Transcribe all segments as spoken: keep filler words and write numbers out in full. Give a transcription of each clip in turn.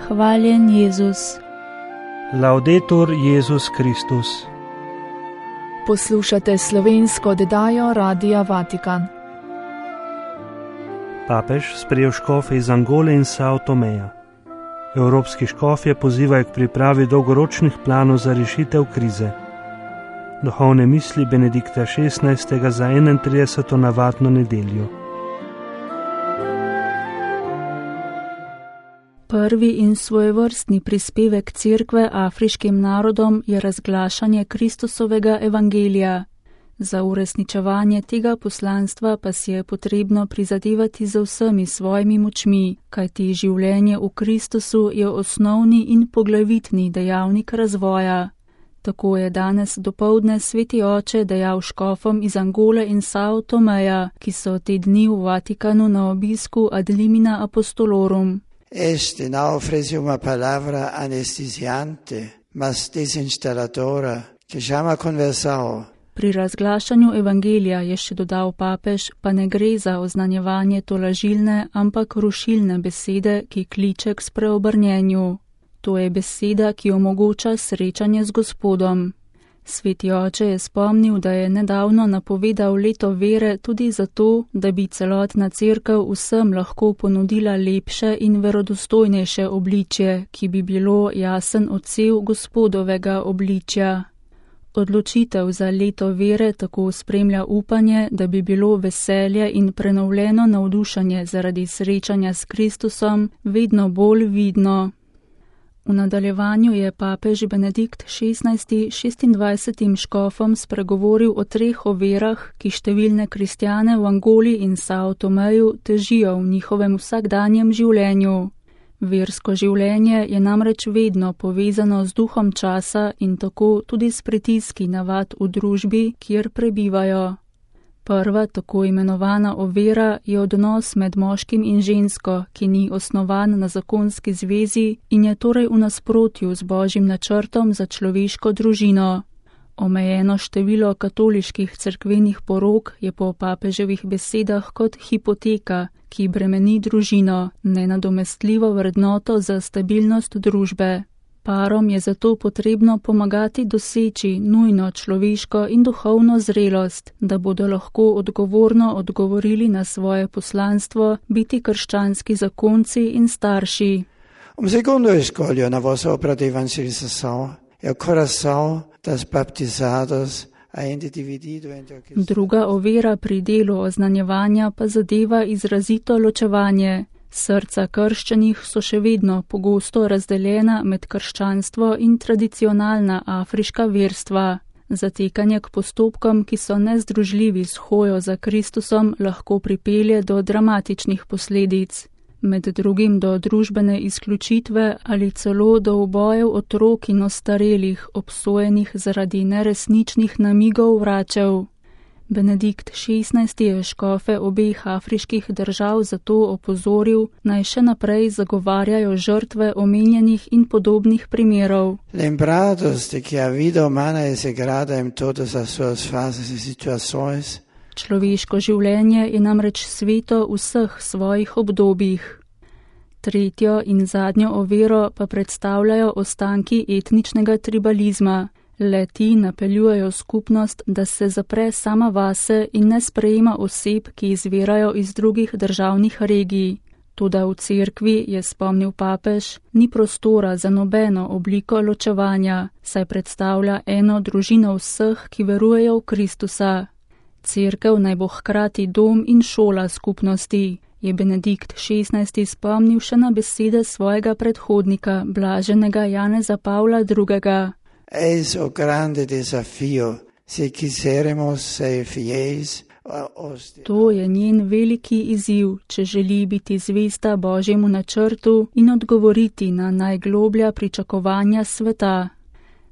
Hvaljen Jezus. Laudetur Jezus Kristus. Poslušate slovensko oddajo Radia Vatikan. Papež sprejel škofe iz Angole in Sao Tomeja. Evropski škofje pozivajo k pripravi dolgoročnih planov za rešitev krize. Duhovne misli Benedikta šestnajstega za enaintrideseto navadno nedeljo. Prvi in svojevrstni prispevek Cerkve afriškim narodom je razglašanje Kristusovega evangelija. Za uresničevanje tega poslanstva pa si je potrebno prizadevati z vsemi svojimi močmi, kajti življenje v Kristusu je osnovni in poglavitni dejavnik razvoja. Tako je danes dopoldne sveti oče dejal škofom iz Angole in Sao Tomeja, ki so te dni v Vatikanu na obisku ad limina apostolorum. Este não oferece uma palavra anestesiante, mas desinstalladora, que chama a conversão. Pri razglašanju evangelija, je še dodal papež, pa ne gre za oznanjevanje tolažilne, ampak rušilne besede, ki kliče k spreobrnjenju. To je beseda, ki omogoča srečanje z Gospodom. Sveti oče je spomnil, da je nedavno napovedal leto vere tudi zato, da bi celotna cerkev vsem lahko ponudila lepše in verodostojnejše obličje, ki bi bilo jasen odsev Gospodovega obličja. Odločitev za leto vere tako spremlja upanje, da bi bilo veselje in prenovljeno navdušenje zaradi srečanja s Kristusom vedno bolj vidno. V nadaljevanju je papež Benedikt šestnajsti šestindvajsetim škofom spregovoril o treh ovirah, ki številne kristjane v Angoli in Sao Tomeju težijo v njihovem vsakdanjem življenju. Versko življenje je namreč vedno povezano z duhom časa in tako tudi s pritiski navad v družbi, kjer prebivajo. Prva tako imenovana ovira je odnos med moškim in žensko, ki ni osnovan na zakonski zvezi in je torej v nasprotju z Božjim načrtom za človeško družino. Omejeno število katoliških cerkvenih porok je po papeževih besedah kot hipoteka, ki bremeni družino, nenadomestljivo vrednoto za stabilnost družbe. Parom je zato potrebno pomagati doseči nujno človeško in duhovno zrelost, da bodo lahko odgovorno odgovorili na svoje poslanstvo, biti krščanski zakonci in starši. Um secondo escolho na vossa opera de evangelização é o coração das baptizados ainda dividido entre aqueles. Druga ovira pri delu oznanjevanja pa zadeva izrazito ločevanje. Srca krščanih so še vedno pogosto razdeljena med krščanstvo in tradicionalna afriška verstva. Zatekanje k postopkom, ki so nezdružljivi s hojo za Kristusom, lahko pripelje do dramatičnih posledic. Med drugim do družbene izključitve ali celo do ubojev otrok in ostarelih, obsojenih zaradi neresničnih namigov vračev. Benedikt šestnajsti je škofe obeh afriških držav zato opozoril, naj še naprej zagovarjajo žrtve omenjenih in podobnih primerov. Lembrados de que a vida humana é sagrada em todas as suas fases e situações. Človeško življenje je namreč sveto v vseh svojih obdobjih. Tretjo in zadnjo oviro pa predstavljajo ostanki etničnega tribalizma. Le-ti napeljujejo skupnost, da se zapre sama vase in ne sprejema oseb, ki izvirajo iz drugih državnih regij. Toda v cerkvi, je spomnil papež, ni prostora za nobeno obliko ločevanja, saj predstavlja eno družino vseh, ki verujejo v Kristusa. Cerkev naj bo hkrati dom in šola skupnosti, je Benedikt šestnajsti spomnil še na besede svojega predhodnika, blaženega Janeza Pavla drugega. Eis o grande desafio, se quiseremos ser fiéis. To je njen veliki izziv, če želi biti zvesta Božjemu načrtu in odgovoriti na najgloblja pričakovanja sveta.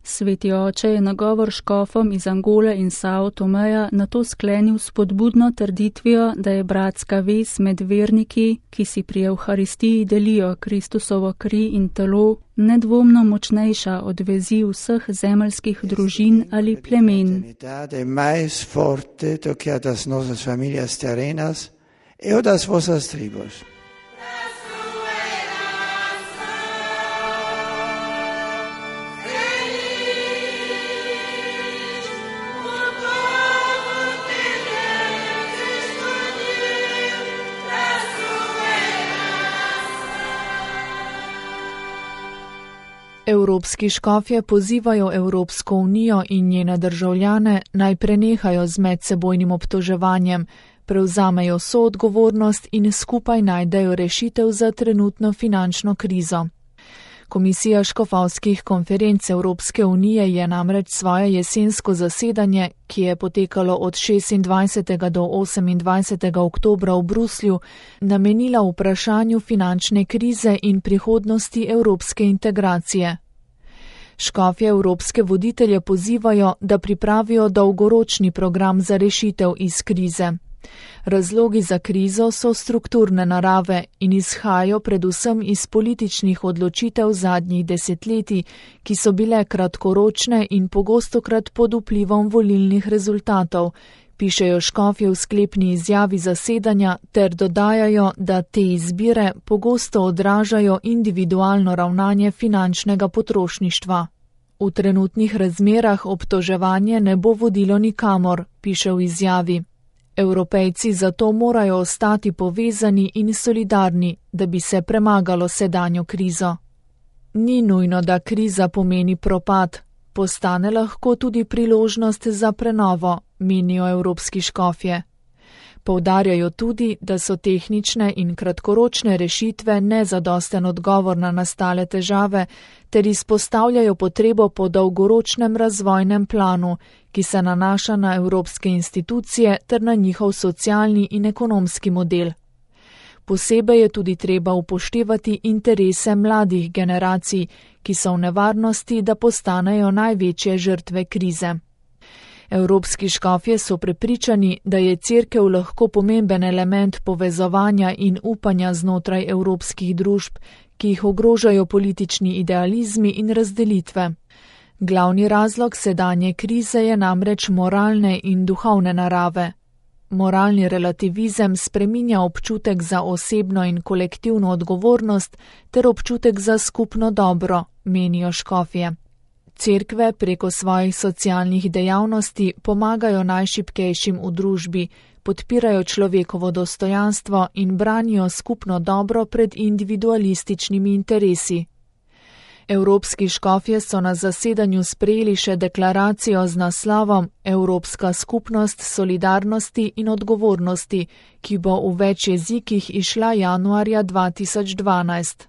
Sveti oče je nagovor škofom iz Angole in Sao Tomeja nato sklenil s spodbudno trditvijo, da je bratska vez med verniki, ki si pri Evharistiji delijo Kristusovo kri in telo, nedvomno močnejša od vezi vseh zemeljskih družin ali plemen. Evropski škofje pozivajo Evropsko unijo in njene državljane naj prenehajo z medsebojnim obtoževanjem, prevzamejo soodgovornost in skupaj najdejo rešitev za trenutno finančno krizo. Komisija škofovskih konferenc Evropske unije je namreč svoje jesensko zasedanje, ki je potekalo od šestindvajsetega do osemindvajsetega oktobra v Bruslju, namenila vprašanju finančne krize in prihodnosti evropske integracije. Škofje evropske voditelje pozivajo, da pripravijo dolgoročni program za rešitev iz krize. Razlogi za krizo so strukturne narave in izhajajo predvsem iz političnih odločitev zadnjih desetletij, ki so bile kratkoročne in pogostokrat pod vplivom volilnih rezultatov, pišejo škofje v sklepni izjavi zasedanja ter dodajajo, da te izbire pogosto odražajo individualno ravnanje finančnega potrošništva. V trenutnih razmerah obtoževanje ne bo vodilo nikamor, piše v izjavi. Evropejci zato morajo ostati povezani in solidarni, da bi se premagalo sedanjo krizo. Ni nujno, da kriza pomeni propad, postane lahko tudi priložnost za prenovo, menijo evropski škofje. Poudarjajo tudi, da so tehnične in kratkoročne rešitve nezadosten odgovor na nastale težave, ter izpostavljajo potrebo po dolgoročnem razvojnem planu, ki se nanaša na evropske institucije ter na njihov socialni in ekonomski model. Posebej je tudi treba upoštevati interese mladih generacij, ki so v nevarnosti, da postanejo največje žrtve krize. Evropski škofje so prepričani, da je cerkev lahko pomemben element povezovanja in upanja znotraj evropskih družb, ki jih ogrožajo politični idealizmi in razdelitve. Glavni razlog sedanje krize je namreč moralne in duhovne narave. Moralni relativizem spreminja občutek za osebno in kolektivno odgovornost ter občutek za skupno dobro, menijo škofje. Cerkve preko svojih socialnih dejavnosti pomagajo najšibkejšim v družbi, podpirajo človekovo dostojanstvo in branijo skupno dobro pred individualističnimi interesi. Evropski škofje so na zasedanju sprejeli še deklaracijo z naslovom Evropska skupnost solidarnosti in odgovornosti, ki bo v več jezikih išla januarja dva tisoč dvanajst.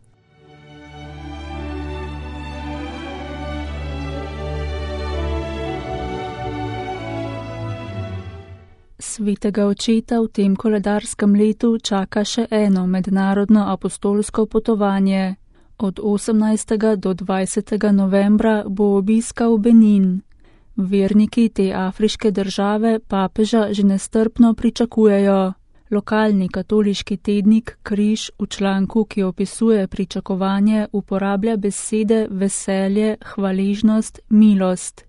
Svetega očeta v tem koledarskem letu čaka še eno mednarodno apostolsko potovanje. Od osemnajstega do dvajsetega novembra bo obiskal Benin. Verniki te afriške države papeža že nestrpno pričakujejo. Lokalni katoliški tednik Križ v članku, ki opisuje pričakovanje, uporablja besede veselje, hvaležnost, milost.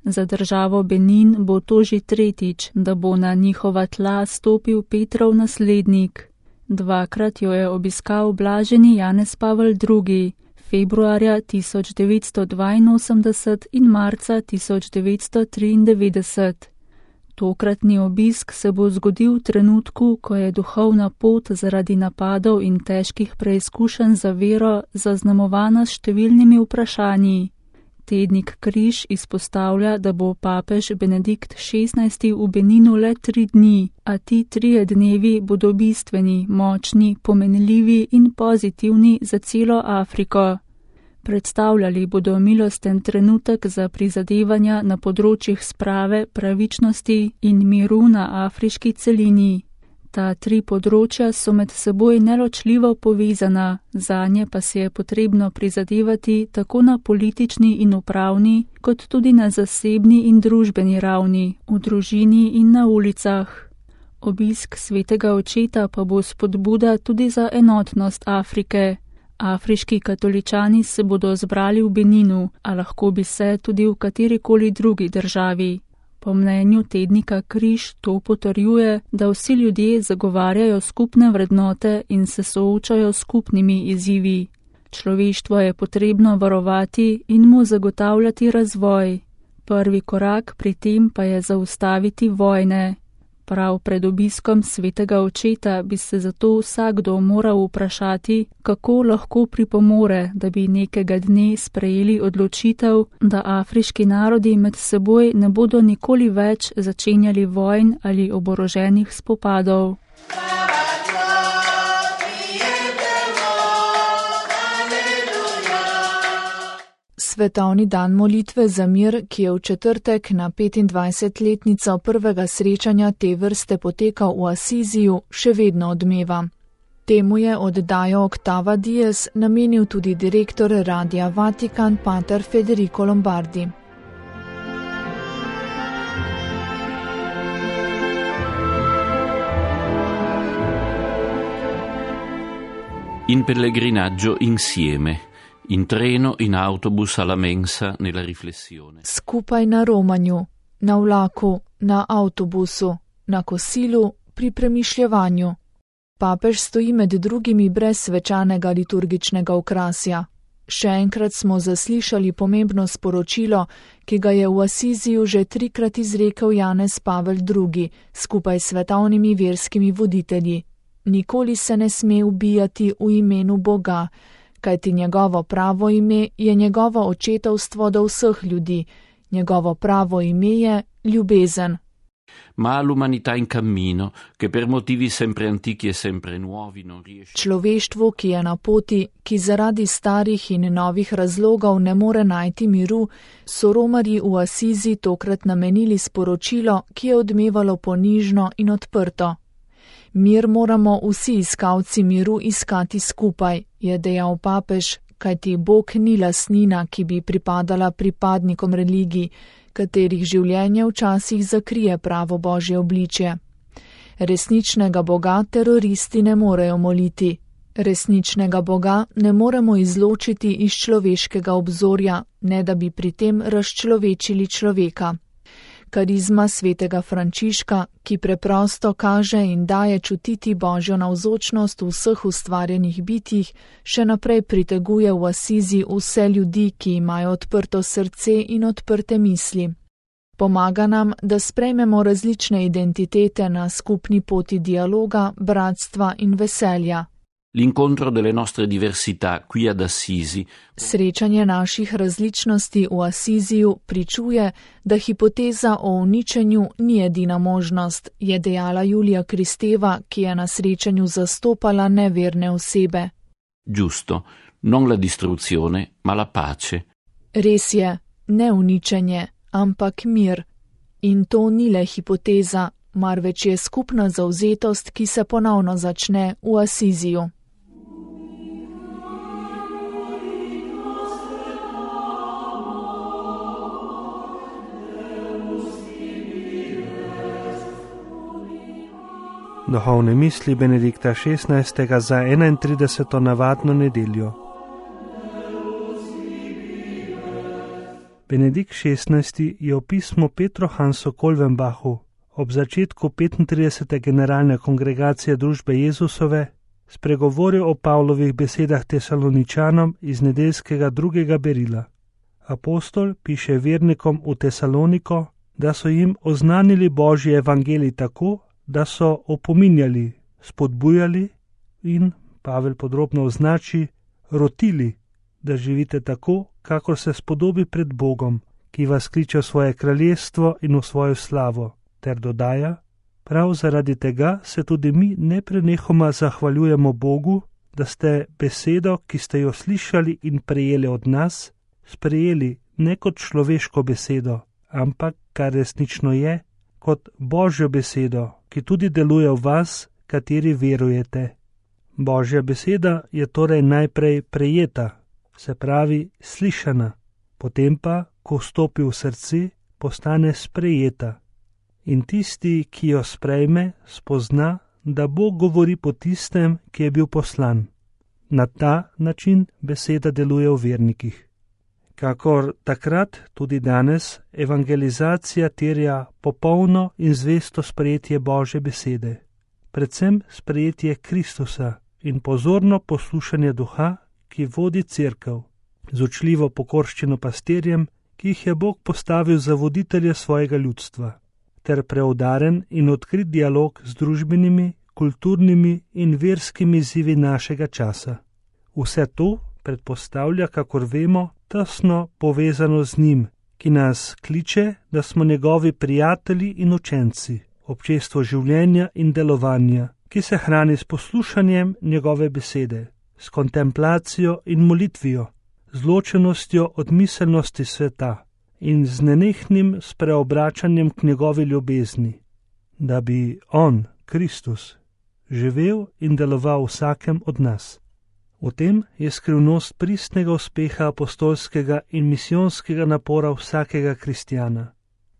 Za državo Benin bo to že tretjič, da bo na njihova tla stopil Petrov naslednik. Dvakrat jo je obiskal blaženi Janez Pavel drugi, februarja tisoč devetsto dvainosemdeset in marca tisoč devetsto triindevetdeset. Tokratni obisk se bo zgodil v trenutku, ko je duhovna pot zaradi napadov in težkih preizkušenj za vero zaznamovana s številnimi vprašanji. Tednik Križ izpostavlja, da bo papež Benedikt šestnajsti v Beninu le tri dni, a ti trije dnevi bodo bistveni, močni, pomenljivi in pozitivni za celo Afriko. Predstavljali bodo milosten trenutek za prizadevanja na področjih sprave, pravičnosti in miru na afriški celini. Ta tri področja so med seboj neločljivo povezana, zanje pa se je potrebno prizadevati tako na politični in upravni, kot tudi na zasebni in družbeni ravni, v družini in na ulicah. Obisk svetega očeta pa bo spodbuda tudi za enotnost Afrike. Afriški katoličani se bodo zbrali v Beninu, a lahko bi se tudi v katerikoli drugi državi. Po mnenju tednika Križ to potrjuje, da vsi ljudje zagovarjajo skupne vrednote in se soočajo s skupnimi izzivi. Človeštvo je potrebno varovati in mu zagotavljati razvoj. Prvi korak pri tem pa je zaustaviti vojne. Prav pred obiskom svetega očeta bi se zato vsakdo moral vprašati, kako lahko pripomore, da bi nekega dne sprejeli odločitev, da afriški narodi med seboj ne bodo nikoli več začenjali vojn ali oboroženih spopadov. Svetovni dan molitve za mir, ki je v četrtek na petindvajsetletnico prvega srečanja te vrste potekal v Asiziju, še vedno odmeva. Temu je oddajo Octava Dies namenil tudi direktor Radia Vatikan pater Federico Lombardi. In pellegrinaggio insieme. In treno, in autobus, alla mensa, nella riflessione. Skupaj na romanju, na vlaku, na avtobusu, na kosilu, pri premišljevanju. Papež stoji med drugimi brez svečanega liturgičnega okrasja. Še enkrat smo zaslišali pomembno sporočilo, ki ga je v Asiziju že trikrat izrekel Janez Pavel drugi, skupaj s svetovnimi verskimi voditelji. Nikoli se ne sme ubijati v imenu Boga, kajti njegovo pravo ime je njegovo očetovstvo do vseh ljudi, njegovo pravo ime je ljubezen. Ma l'umanità in cammino, che per motivi sempre antichi e sempre nuovi non riesce. Človeštvu, ki je na poti, ki zaradi starih in novih razlogov ne more najti miru, so romarji v Asizi tokrat namenili sporočilo, ki je odmevalo ponižno in odprto. Mir moramo vsi iskalci miru iskati skupaj, je dejal papež, kajti Bog ni lastnina, ki bi pripadala pripadnikom religij, katerih življenje včasih zakrije pravo Božje obličje. Resničnega Boga teroristi ne morejo moliti. Resničnega Boga ne moremo izločiti iz človeškega obzorja, ne da bi pri tem razčlovečili človeka. Karizma svetega Frančiška, ki preprosto kaže in daje čutiti Božjo navzočnost v vseh ustvarjenih bitjih, še naprej priteguje v Asizi vse ljudi, ki imajo odprto srce in odprte misli. Pomaga nam, da sprejmemo različne identitete na skupni poti dialoga, bratstva in veselja. L'incontro delle nostre diversità qui ad Assisi. Srečanje naših različnosti v Asiziju pričuje, da hipoteza o uničenju ni edina možnost, je dejala Julija Kristeva, ki je na srečanju zastopala neverne osebe. Giusto, non la distruzione, ma la pace. Res je, ne uničenje, ampak mir. In to ni le hipoteza, marveč je skupna zavzetost, ki se ponovno začne v Asiziju. Duhovne misli Benedikta šestnajstega za enaintrideseto navadno nedeljo. Benedikt šestnajsti je v pismu Petru Hansu Kolvenbachu ob začetku petintridesete generalne kongregacije družbe Jezusove spregovoril o Pavlovih besedah Tesaloničanom iz nedeljskega drugega berila. Apostol piše vernikom v Tesaloniko, da so jim oznanili Božji evangelij tako, da so opominjali, spodbujali in, Pavel podrobno označi, rotili, da živite tako, kakor se spodobi pred Bogom, ki vas kliče v svoje kraljestvo in v svojo slavo, ter dodaja, prav zaradi tega se tudi mi neprenehoma zahvaljujemo Bogu, da ste besedo, ki ste jo slišali in prejeli od nas, sprejeli ne kot človeško besedo, ampak, kar resnično je, kot Božjo besedo, ki tudi deluje v vas, kateri verujete. Božja beseda je torej najprej prejeta, se pravi slišana, potem pa, ko vstopi v srce, postane sprejeta. In tisti, ki jo sprejme, spozna, da Bog govori po tistem, ki je bil poslan. Na ta način beseda deluje v vernikih. Kakor takrat, tudi danes, evangelizacija terja popolno in zvesto sprejetje Božje besede, predvsem sprejetje Kristusa in pozorno poslušanje duha, ki vodi cerkev, z učljivo pokorščino pastirjem, ki jih je Bog postavil za voditelje svojega ljudstva, ter preudaren in odkrit dialog z družbenimi, kulturnimi in verskimi izzivi našega časa. Vse to predpostavlja, kakor vemo, tesno povezano z njim, ki nas kliče, da smo njegovi prijatelji in učenci, občestvo življenja in delovanja, ki se hrani s poslušanjem njegove besede, s kontemplacijo in molitvijo, z ločenostjo od miselnosti sveta in z nenehnim spreobračanjem k njegovi ljubezni, da bi on, Kristus, živel in deloval vsakem od nas. V tem je skrivnost pristnega uspeha apostolskega in misijonskega napora vsakega kristjana,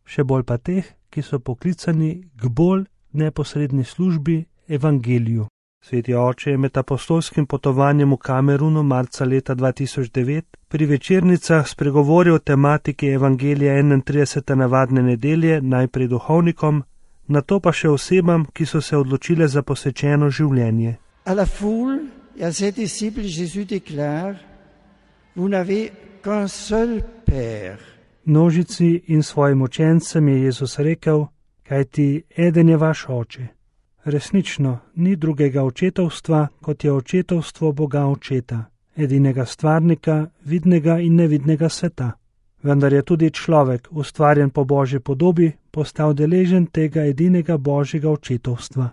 še bolj pa teh, ki so poklicani k bolj neposredni službi evangeliju. Sveti oče je med apostolskim potovanjem v Kamerunu marca leta dva tisoč devet pri večernicah spregovoril o tematiki evangelija enaintridesete navadne nedelje najprej duhovnikom, nato pa še osebam, ki so se odločile za posvečeno življenje. A la foule et à ses disciples Jésus déclare: Vous n'avez qu'un seul Père. Množici in svojim učencem je Jezus rekel, kajti eden je vaš oče. Resnično, ni drugega očetovstva, kot je očetovstvo Boga Očeta, edinega stvarnika, vidnega in nevidnega sveta. Vendar je tudi človek, ustvarjen po Božji podobi, postal deležen tega edinega Božjega očetovstva.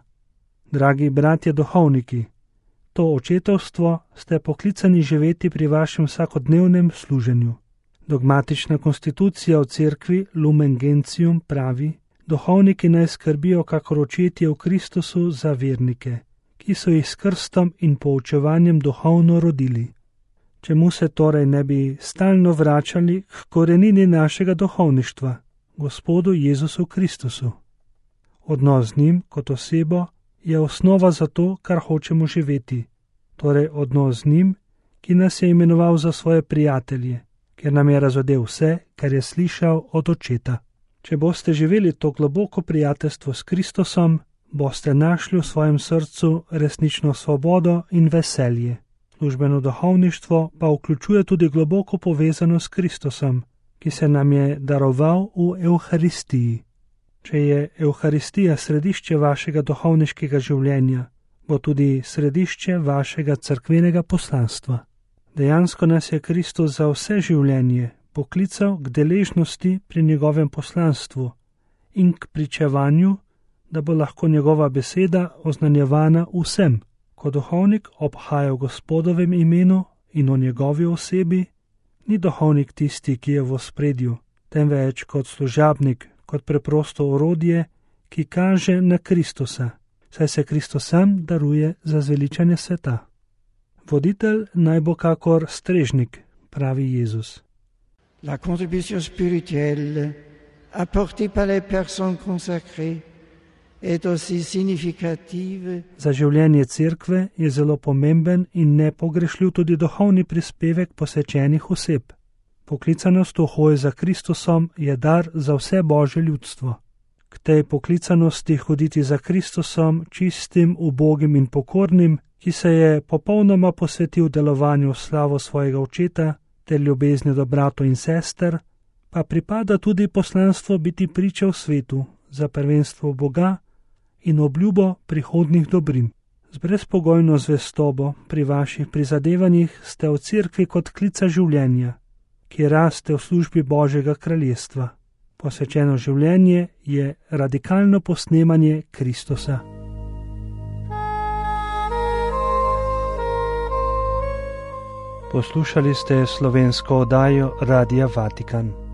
Dragi bratje duhovniki, to očetovstvo ste poklicani živeti pri vašem vsakodnevnem služenju. Dogmatična konstitucija v cerkvi Lumen Gentium pravi, duhovniki naj skrbijo kakor očetje v Kristusu za vernike, ki so jih s krstom in poučevanjem duhovno rodili. Čemu se torej ne bi stalno vračali k korenini našega duhovništva, Gospodu Jezusu Kristusu? Odnos z njim kot osebo je osnova za to, kar hočemo živeti, torej odnos z njim, ki nas je imenoval za svoje prijatelje, ker nam je razodel vse, kar je slišal od Očeta. Če boste živeli to globoko prijateljstvo s Kristusom, boste našli v svojem srcu resnično svobodo in veselje. Službeno duhovništvo pa vključuje tudi globoko povezano s Kristusom, ki se nam je daroval v Evharistiji. Če je Evharistija središče vašega duhovniškega življenja, bo tudi središče vašega cerkvenega poslanstva. Dejansko nas je Kristus za vse življenje poklical k deležnosti pri njegovem poslanstvu in k pričevanju, da bo lahko njegova beseda oznanjevana vsem. Ko duhovnik obhaja v Gospodovem imenu in o njegovi osebi, ni duhovnik tisti, ki je v ospredju, temveč kot služabnik, kot preprosto orodje, ki kaže na Kristusa, saj se Kristus sam daruje za zveličanje sveta. Voditelj naj bo kakor strežnik, pravi Jezus. La contribution spirituelle apportée par les personnes consacrées est aussi significative. Za življenje cerkve je zelo pomemben in nepogrešljiv tudi duhovni prispevek posvečenih oseb. Poklicanost v hoji za Kristusom je dar za vse Božje ljudstvo. K tej poklicanosti hoditi za Kristusom, čistim, ubogim in pokornim, ki se je popolnoma posvetil delovanju v slavo svojega Očeta ter ljubezni do bratov in sester, pa pripada tudi poslanstvo biti priča v svetu za prvenstvo Boga in obljubo prihodnih dobrin. Z brezpogojno zvestobo pri vaših prizadevanjih ste v cerkvi kot klica življenja, ki raste v službi Božjega kraljestva. Posvečeno življenje je radikalno posnemanje Kristusa. Poslušali ste slovensko oddajo Radia Vatikan.